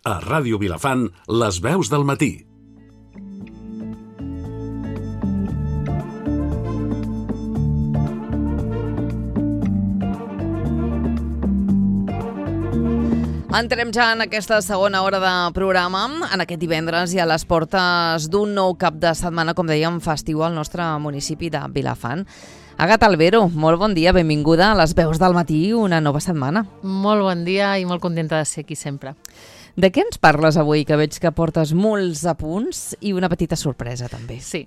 A Ràdio Vilafant, les veus del matí. Entrem ja en aquesta segona hora de programa, en aquest divendres i a les portes d'un nou cap de setmana, com dèiem, festiu al nostre municipi de Vilafant. Agatha Albero, molt bon dia, benvinguda a les veus del matí, una nova setmana. Molt bon dia i molt contenta de ser aquí sempre. De què ens parles avui, que veig que portes molts apunts i una petita sorpresa també? Sí.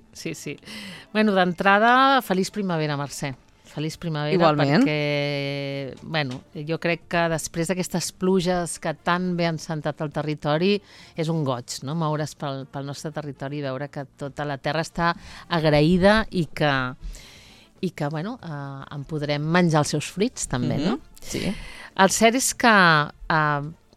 Bueno, d'entrada, feliç primavera, Mercè. Feliç primavera. Igualment. Perquè, bueno, jo crec que després d'aquestes pluges que tan bé han sentat el territori, és un goig, no?, moure's pel nostre territori i veure que tota la terra està agraïda i que bueno, en podrem menjar els seus fruits, també, no? Sí. El cert és que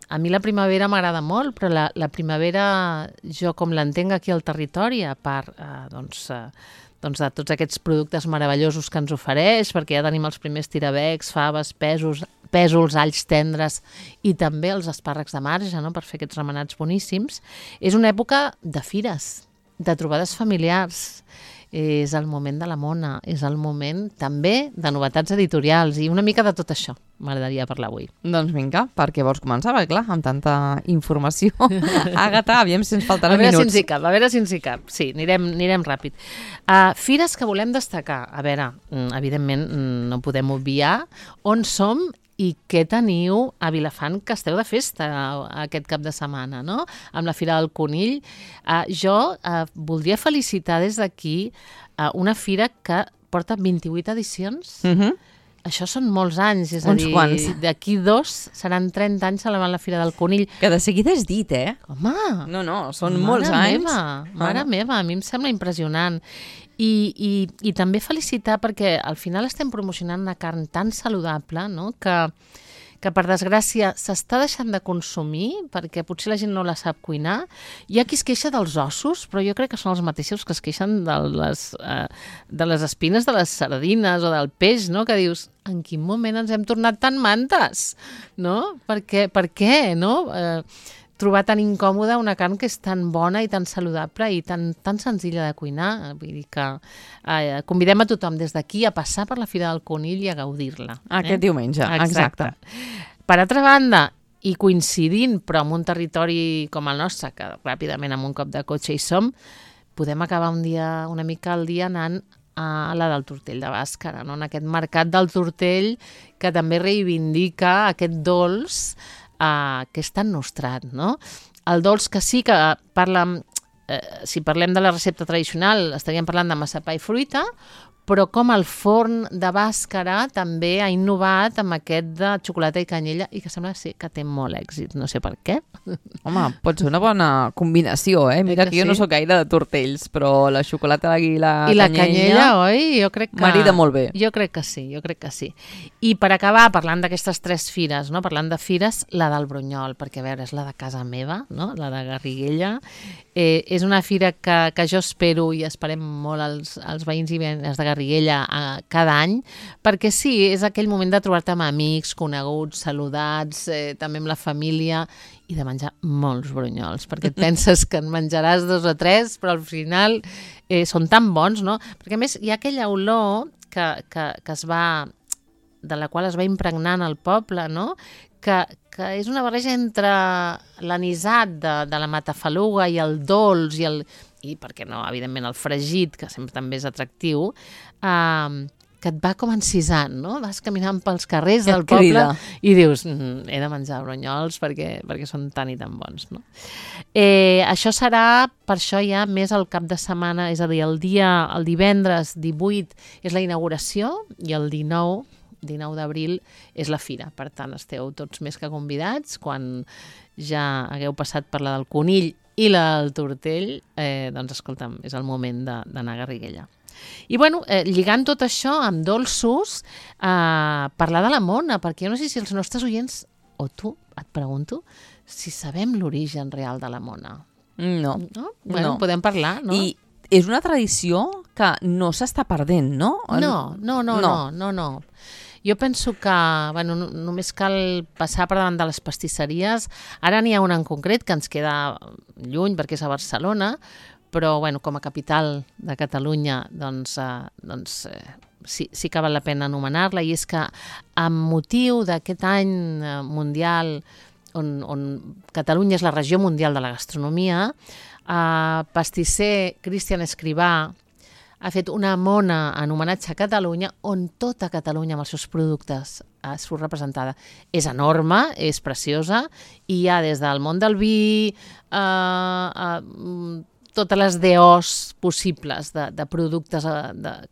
a mi la primavera m'agrada molt, però la primavera, jo com l'entenc aquí al territori, a part de tots aquests productes meravellosos que ens ofereix, perquè ja tenim els primers tirabecs, faves, pèsols, alls tendres i també els espàrrecs de marge, no?, per fer aquests remenats boníssims. És una època de fires, de trobades familiars, és el moment de la mona, és el moment també de novetats editorials i una mica de tot això m'agradaria parlar avui. Doncs vinga, per què vols començar? Perquè clar, amb tanta informació. Agatha, aviam si ens faltaran minuts. A veure si ens hi cap. Sí, anirem ràpid. Fires que volem destacar. A veure, evidentment no podem obviar on som i què teniu a Vilafant, que esteu de festa aquest cap de setmana, no?, amb la Fira del Conill. Jo voldria felicitar des d'aquí una fira que porta 28 edicions. Això són molts anys, és a dir, d'aquí 2 seran 30 anys celebrant la Fira del Conill. Que de seguida és dit, eh? Home! No, són molts anys. Mare meva, a mi em sembla impressionant. I també felicitar perquè al final estem promocionant una carn tan saludable, no?, que per desgràcia s'està deixant de consumir perquè potser la gent no la sap cuinar. Hi ha qui es queixa dels ossos, però jo crec que són els mateixos que es queixen de les espines de les sardines o del peix, no?, que dius, en quin moment ens hem tornat tan mantes, no? Per què, no? Trobar tan incòmoda una carn que és tan bona i tan saludable i tan senzilla de cuinar. Vull dir que convidem a tothom des d'aquí a passar per la Fira del Conill i a gaudir-la. Aquest diumenge, exacte. Per altra banda, i coincidint, però en un territori com el nostre, que ràpidament amb un cop de cotxe hi som, podem acabar una mica el dia anant a la del Tortell de Bàscara, no?, en aquest mercat del Tortell que també reivindica aquest dolç que és tan nostrat, no? El dolç que sí que si parlem de la recepta tradicional, estaríem parlant de massapà i fruita, però com el forn de Bàscara també ha innovat amb aquest de xocolata i canyella i que sembla que té molt èxit, no sé per què. Home, pot ser una bona combinació, eh? Mira que jo no sóc gaire de tortells, però la xocolata i la canyella, oi? Jo crec que marida molt bé. Jo crec que sí. I per acabar, parlant d'aquestes 3 fires, no?, parlant de fires, la del Brunyol, perquè a veure, és la de casa meva, no?, la de Garriguella. És una fira que jo espero i esperem molt els veïns i veïnes de Garriguella cada any, perquè sí, és aquell moment de trobar-te amb amics, coneguts, saludats, també amb la família, i de menjar molts brunyols, perquè et penses que en menjaràs 2 o 3, però al final són tan bons, no? Perquè a més hi ha aquella olor de la qual es va impregnant el poble, no?, que és una barreja entre l'anisat de la matafaluga i el dolç i per què no, evidentment, el fregit, que sempre també és atractiu, que et va com encisant, no? Vas caminant pels carrers del poble i dius, he de menjar brunyols perquè són tan i tan bons, no? Això serà, per això ja més el cap de setmana, és a dir, el divendres 18 és la inauguració i el 19 d'abril és la fira. Per tant, esteu tots més que convidats. Quan ja hagueu passat per la del Conill i la del Tortell, doncs, escolta'm, és el moment d'anar a Garriguella. I, bueno, lligant tot això amb dolços, parlar de la mona, perquè jo no sé si els nostres oients, o tu, et pregunto, si sabem l'origen real de la mona. No. Bueno, podem parlar, no? I és una tradició que no s'està perdent, no? No. Jo penso que només cal passar per davant de les pastisseries. Ara n'hi ha una en concret que ens queda lluny perquè és a Barcelona, però com a capital de Catalunya sí que val la pena anomenar-la, i és que amb motiu d'aquest any mundial on Catalunya és la regió mundial de la gastronomia, pastisser Cristian Escrivà ha fet una mona en homenatge a Catalunya on tota Catalunya amb els seus productes surt representada. És enorme, és preciosa, i hi ha des del món del vi, totes les DOs possibles de productes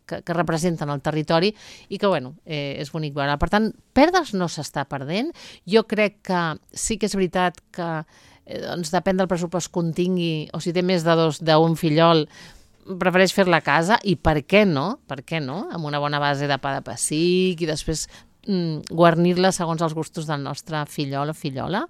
que representen el territori i que, és bonic veure. Per tant, perdre's no s'està perdent. Jo crec que sí que és veritat que depèn del pressupost que un tingui, o si té més d'un fillol, prefereix fer-la a casa, i per què no? Per què no? Amb una bona base de pa de pessic i després guarnir-la segons els gustos del nostre fillol o fillola,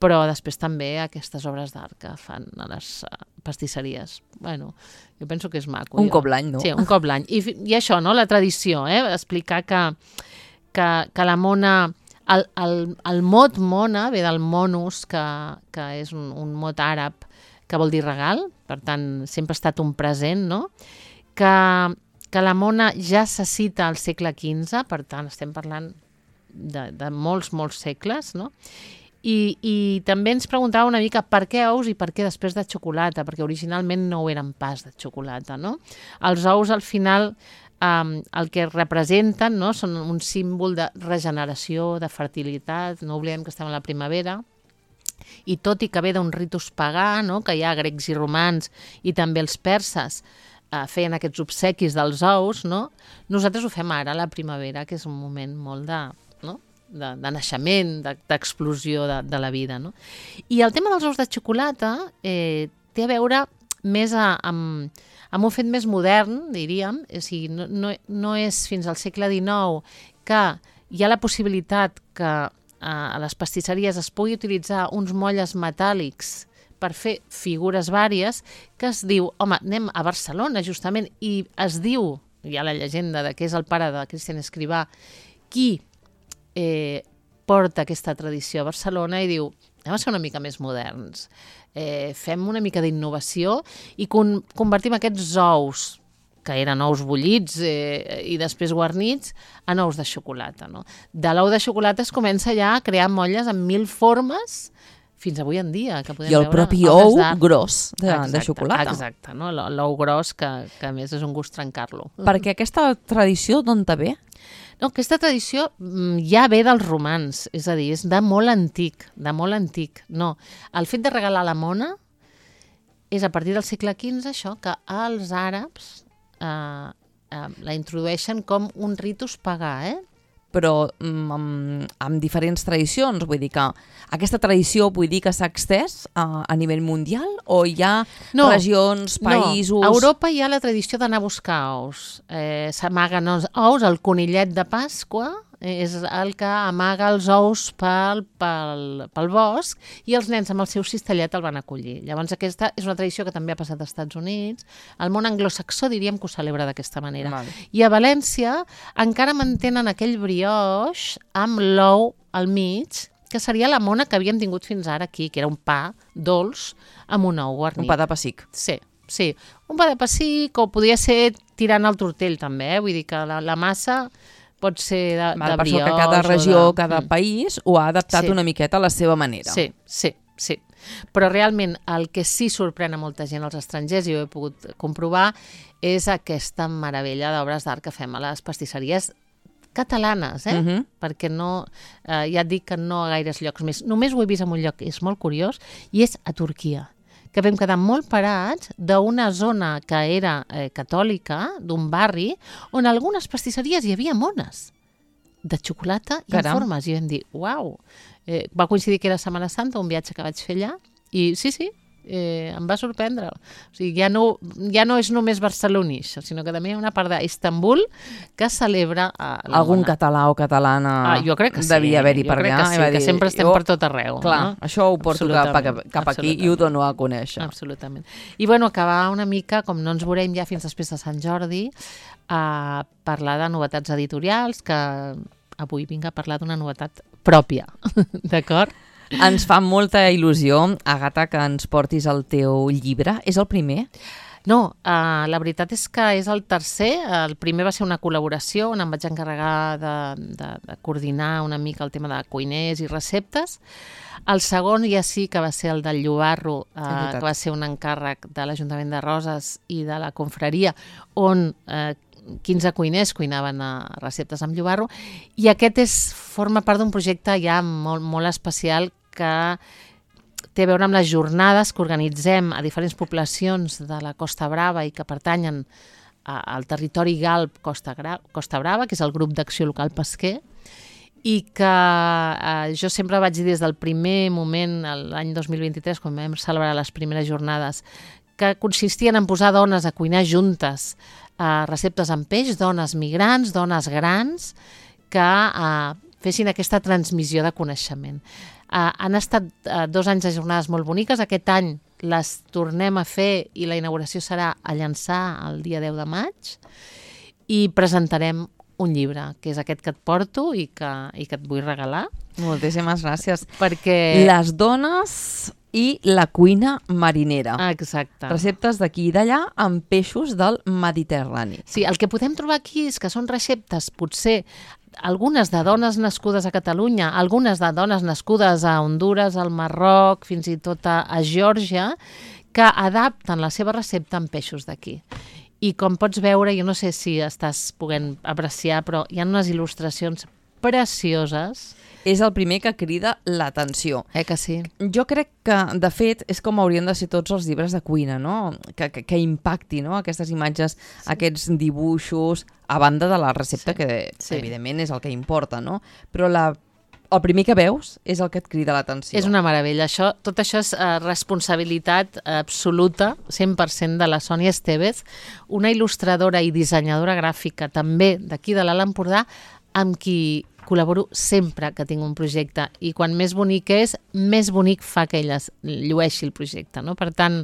però després també aquestes obres d'art que fan a les pastisseries. Jo penso que és maco. Un cop l'any, no? Sí, un cop l'any. I això, no? La tradició, explicar que la mona, el mot mona ve del monus, que és un mot àrab que vol dir regal, per tant, sempre ha estat un present, no? Que la mona ja se cita al segle XV, per tant, estem parlant de molts segles, no? I també ens preguntava una mica per què ous i per què després de xocolata, perquè originalment no ho eren pas de xocolata, no? Els ous, al final, el que representen, no? Són un símbol de regeneració, de fertilitat, no oblidem que estem a la primavera, i tot i que ve d'un ritus pagà, no? Que hi ha grecs i romans i també els perses feien aquests obsequis dels ous, no? Nosaltres ho fem ara a la primavera, que és un moment molt de naixement, d'explosió de la vida, no? I el tema dels ous de xocolata té a veure més amb un fet més modern, diríem, o sigui, no és fins al segle XIX que hi ha la possibilitat que a les pastisseries es pugui utilitzar uns molles metàl·lics per fer figures vàries, que es diu, anem a Barcelona justament, i es diu, hi ha la llegenda de que és el pare de Cristian Escrivà, qui porta aquesta tradició a Barcelona i diu, anem a ser una mica més moderns, fem una mica d'innovació i convertim aquests ous, que eren ous bullits i després guarnits, en ous de xocolata. No? De l'ou de xocolata es comença ja a crear molles amb 1000 formes fins avui en dia. Que podem I el propi ou gros de xocolata. Exacte, no? L'ou gros que a més és un gust trencar-lo. Perquè aquesta tradició d'on te ve? No, aquesta tradició ja ve dels romans, és a dir, és de molt antic, No, el fet de regalar la mona és a partir del segle XV això, que els àrabs la introdueixen com un ritus pagà, però amb diferents tradicions, vull dir que aquesta tradició s'ha extès a nivell mundial o hi ha regions, països... No, a Europa hi ha la tradició d'anar a buscar ous. S'amaguen els ous, el conillet de Pasqua és el que amaga els ous pel bosc i els nens amb el seu cistellet el van acollir. Llavors aquesta és una tradició que també ha passat als Estats Units. El món anglosaxó diríem que ho celebra d'aquesta manera. Vale. I a València encara mantenen aquell brioix amb l'ou al mig, que seria la mona que havíem tingut fins ara aquí, que era un pa dolç amb un ou guarnit. Un pa de pessic. Sí. Un pa de pessic, o podria ser tirant el tortell també, vull dir que la massa pot ser de brioix. Per això que cada regió, cada país ho ha adaptat una miqueta a la seva manera. Sí. Però realment el que sí sorprèn a molta gent als estrangers, i ho he pogut comprovar, és aquesta meravella d'obres d'art que fem a les pastisseries catalanes, perquè no, ja et dic que no a gaires llocs més. Només ho he vist en un lloc que és molt curiós, i és a Turquia, que vam quedar molt parats d'una zona que era catòlica, d'un barri, on algunes pastisseries hi havia mones de xocolata i en formes. I vam dir, uau! Va coincidir que era Setmana Santa, un viatge que vaig fer allà, i sí, em va sorprendre. O sigui, ja no és només barcelonix, sinó que també hi ha una part d'Istanbul que celebra algun català o catalana jo crec que sí, devia haver-hi per allà. Que sempre estem per tot arreu. Clar, això ho porto cap aquí i ho dono a conèixer. Absolutament. I acabar una mica, com no ens veurem ja fins després de Sant Jordi, a parlar de novetats editorials que avui vinc a parlar d'una novetat pròpia, d'acord? Ens fa molta il·lusió, Àgata, que ens portis el teu llibre. És el primer? No, la veritat és que és el tercer. El primer va ser una col·laboració on em vaig encarregar de coordinar una mica el tema de cuiners i receptes. El segon ja sí que va ser el del Llobarro, que va ser un encàrrec de l'Ajuntament de Roses i de la confraria, on 15 cuiners cuinaven receptes amb llobarro, i aquest forma part d'un projecte ja molt, molt especial que té a veure amb les jornades que organitzem a diferents poblacions de la Costa Brava i que pertanyen al territori Galp Costa Brava, que és el grup d'acció local pesquer, i que jo sempre vaig dir des del primer moment, l'any 2023, quan vam celebrar les primeres jornades, que consistien en posar dones a cuinar juntes receptes amb peix, dones migrants, dones grans, que fessin aquesta transmissió de coneixement. Han estat 2 anys de jornades molt boniques. Aquest any les tornem a fer i la inauguració serà a Llançà el dia 10 de maig i presentarem un llibre, que és aquest que et porto i que et vull regalar. Moltíssimes gràcies. Perquè... Les dones i la cuina marinera. Exacte. Receptes d'aquí i d'allà amb peixos del Mediterrani. Sí, el que podem trobar aquí és que són receptes, potser, algunes de dones nascudes a Catalunya, algunes de dones nascudes a Hondures, al Marroc, fins i tot a Geòrgia, que adapten la seva recepta amb peixos d'aquí. I com pots veure, jo no sé si estàs podent apreciar, però hi ha unes il·lustracions precioses. És el primer que crida l'atenció. Que sí? Jo crec que, de fet, és com haurien de ser tots els llibres de cuina, no? Que impacti, no? Aquestes imatges, aquests dibuixos, a banda de la recepta, que evidentment és el que importa, no? Però el primer que veus és el que et crida l'atenció. És una meravella. Tot això és responsabilitat absoluta, 100% de la Sònia Estevez, una il·lustradora i dissenyadora gràfica també d'aquí de l'Alt Empordà, amb qui col·laboro sempre que tinc un projecte, i quan més bonic és, més bonic fa que ella llueixi el projecte, no? Per tant,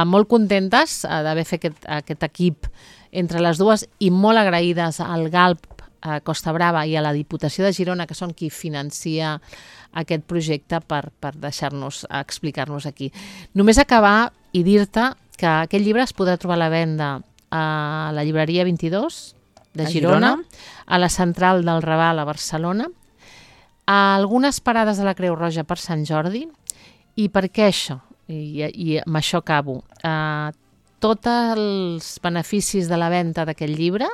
molt contentes d'haver fet aquest equip entre les dues i molt agraïdes al Galp a Costa Brava i a la Diputació de Girona, que són qui financia aquest projecte, per deixar-nos explicar-nos aquí. Només acabar i dir-te que aquest llibre es podrà trobar a la venda a la llibreria 22 de Girona, a la Central del Raval a Barcelona, a algunes parades de la Creu Roja per Sant Jordi. I per què això? I amb això acabo. Tots els beneficis de la venda d'aquest llibre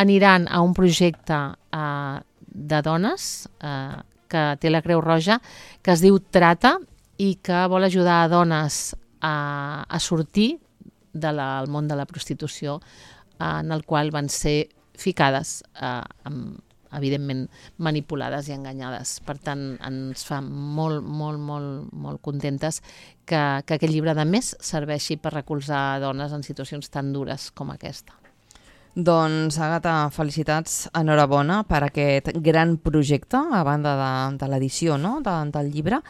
aniran a un projecte de dones que té la Creu Roja, que es diu Trata, i que vol ajudar a dones a sortir del món de la prostitució, en el qual van ser ficades, evidentment manipulades i enganyades. Per tant, ens fa molt, molt, molt, molt contentes que aquest llibre, a més, serveixi per recolzar dones en situacions tan dures com aquesta. Doncs, Àgata, felicitats, enhorabona per aquest gran projecte, a banda de l'edició, no?, del llibre,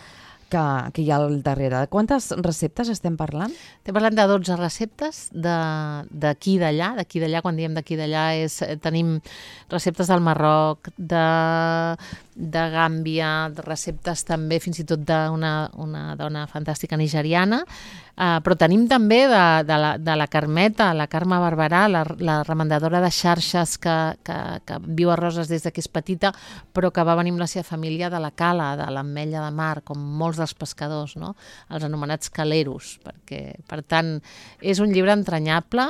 que hi ha al darrere. Quantes receptes estem parlant? Estem parlant de 12 receptes d'aquí i d'allà. D'aquí i d'allà, quan diem d'aquí i d'allà, tenim receptes del Marroc, de Gàmbia, receptes també fins i tot d'una dona fantàstica nigeriana, però tenim també de la Carmeta, la Carme Barberà, la remendadora de xarxes que viu a Roses des que és petita, però que va venir amb la seva família de la cala, de l'Ametlla de Mar, com molts dels pescadors, no? Els anomenats caleros. Per tant, és un llibre entranyable,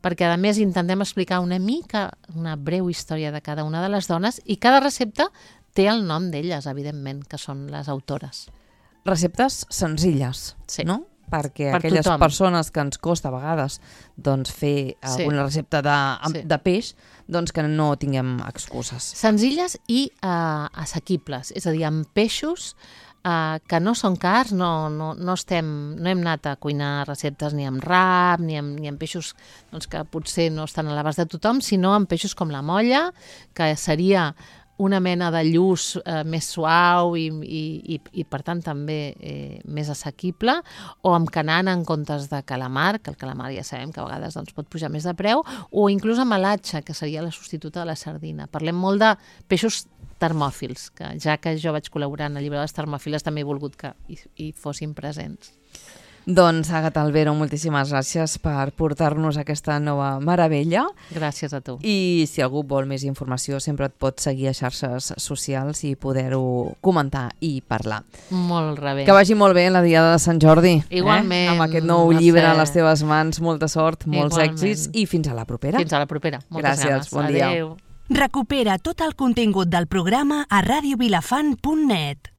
perquè a més intentem explicar una breu història de cada una de les dones, i cada recepta té el nom d'elles, evidentment, que són les autores. Receptes senzilles, no? Perquè aquelles persones que ens costa a vegades fer alguna recepta de peix, doncs que no tinguem excuses. Senzilles i assequibles, és a dir, amb peixos que no són cars, no hem anat a cuinar receptes ni amb rap, ni amb peixos que potser no estan a l'abast de tothom, sinó amb peixos com la molla, que seria una mena de lluç més suau i per tant també més assequible, o amb canana en comptes de calamar, que el calamar ja sabem que a vegades doncs, pot pujar més de preu, o inclús amb alatxa, que seria la substituta de la sardina. Parlem molt de peixos termòfils, que ja que jo vaig col·laborar en el llibre de les termòfiles també he volgut que hi fossin presents. Doncs, Àgata Albero, moltíssimes gràcies per portar-nos aquesta nova meravella. Gràcies a tu. I si algú vol més informació, sempre et pot seguir a xarxes socials i poder-ho comentar i parlar. Molt bé. Que vagi molt bé la Diada de Sant Jordi. Igualment. Amb aquest nou llibre a les teves mans. Molta sort, molts èxits i fins a la propera. Fins a la propera. Moltes gràcies, ganes. bon dia. Adéu. Recupera tot el contingut del programa a radiovilafant.net.